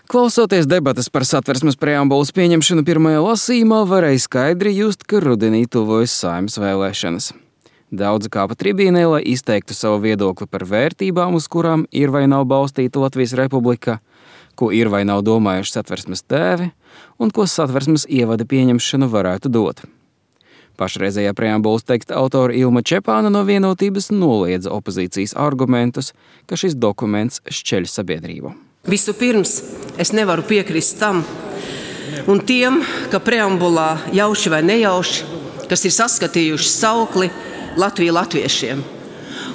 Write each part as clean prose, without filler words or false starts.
Klausoties debates par Satversmes preambulas pieņemšanu pirmajā lasījumā, varēja skaidri just, ka rudenī tuvojas Saeimas vēlēšanas. Daudzi kāpa tribīnē, lai izteiktu savu viedokli par vērtībām, uz kurām ir vai nav balstīta Latvijas republika, ko ir vai nav domājuši Satversmes tēvi un ko Satversmes ievada pieņemšana varētu dot. Pašreizējā preambulas teksta autora Ilma Čepāna no Vienotības noliedza opozīcijas argumentus, ka šis dokuments šķeļ sabiedrību. Vispirms es nevaru piekrist tam un tiem, ka preambulā jauši vai nejauši, kas ir saskatījuši saukli Latvija latviešiem.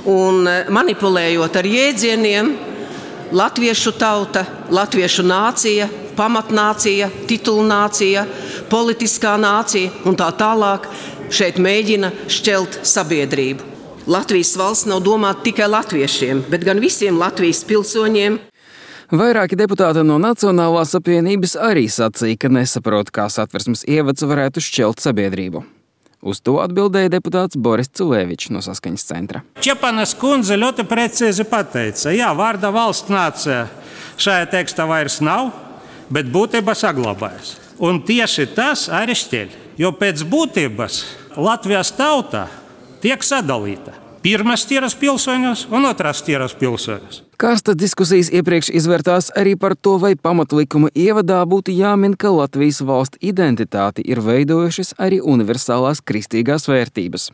Un manipulējot ar jēdzieniem, latviešu tauta, latviešu nācija, pamatnācija, titulnācija, politiskā nācija un tā tālāk šeit mēģina šķelt sabiedrību. Latvijas valsts nav domāta tikai latviešiem, bet gan visiem Latvijas pilsoņiem. Vairāki deputāti no Nacionālās apvienības arī sacīja, ka nesaprot, kā Satversmes ievads varētu šķelt sabiedrību. Uz to atbildēja deputāts Boris Culēvičs no Saskaņas centra. Čepanas kundze ļoti precīzi pateica, jā, vārda valsts nācija šajā tekstā vairs nav, bet būtība saglabājas. Un tieši tas arī šķeļ, jo pēc būtības Latvijas tauta tiek sadalīta. Pirmās tiras pilsoņus un otrās tiras pilsoņus. Kārstas diskusijas iepriekš izvērtās arī par to, vai pamatlikuma ievadā būtu jāmin, ka Latvijas valsts identitāti ir veidojušas arī universālās kristīgās vērtības.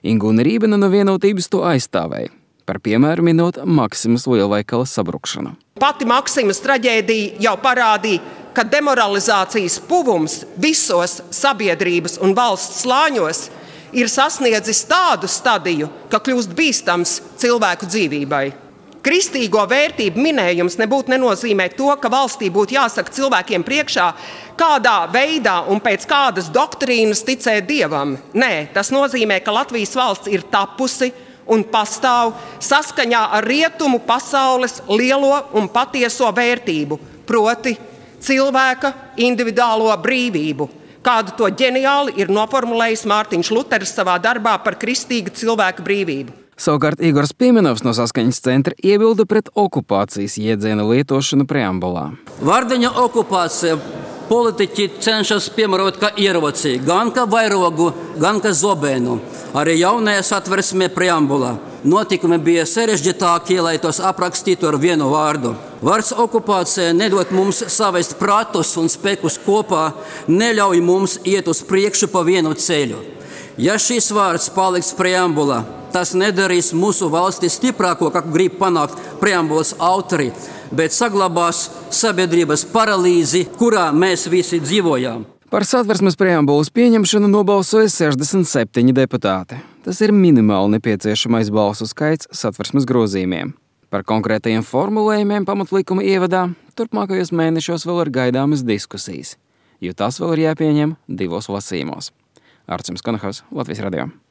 Ingūna Rībena no Vienotības to aizstāvēja, par piemēru minot Maksimas lielveikala sabrukšanu. Pati Maksimas traģēdija jau parādīja, ka demoralizācijas puvums visos sabiedrības un valsts slāņos ir sasniedzis tādu stadiju, ka kļūst bīstams cilvēku dzīvībai. Kristīgo vērtību minējums nebūtu nenozīmē to, ka valstī būtu jāsaka cilvēkiem priekšā, kādā veidā un pēc kādas doktrīnas ticēt Dievam. Nē, tas nozīmē, ka Latvijas valsts ir tapusi un pastāv saskaņā ar rietumu pasaules lielo un patieso vērtību, proti cilvēka individuālo brīvību, kādu to ģeniāli ir noformulējis Mārtiņš Luteris savā darbā par kristīgu cilvēku brīvību. Savukārt Igors Piemenovs no Saskaņas centra iebilda pret okupācijas jēdziena lietošanu preambulā. Vārdiņa okupācija politiķi cenšas piemērot kā ieroci, gan kā vairogu, gan kā zobenu. Arī jaunajā Satversmē preambulā notikumi bija sarežģītākie, lai tos aprakstītu ar vienu vārdu. Vārds okupācija nedod mums savest prātus un spēkus kopā, neļauj mums iet uz priekšu pa vienu ceļu. Ja šis vārds paliks preambulā, tas nedarīs mūsu valsti stiprāko, kā grib panākt preambulas autori, bet saglabās sabiedrības paralīzi, kurā mēs visi dzīvojām. Par Satversmes preambulas pieņemšanu nobalsoja 67 deputāti. Tas ir minimāli nepieciešamais balsu skaits Satversmes grozījumiem. Par konkrētajiem formulējumiem pamatlikuma ievadā turpmākajos mēnešos vēl ir gaidāmas diskusijas, jo tas vēl ir jāpieņem 2 lasījumos. Arcims Konahaus, Latvijas radio.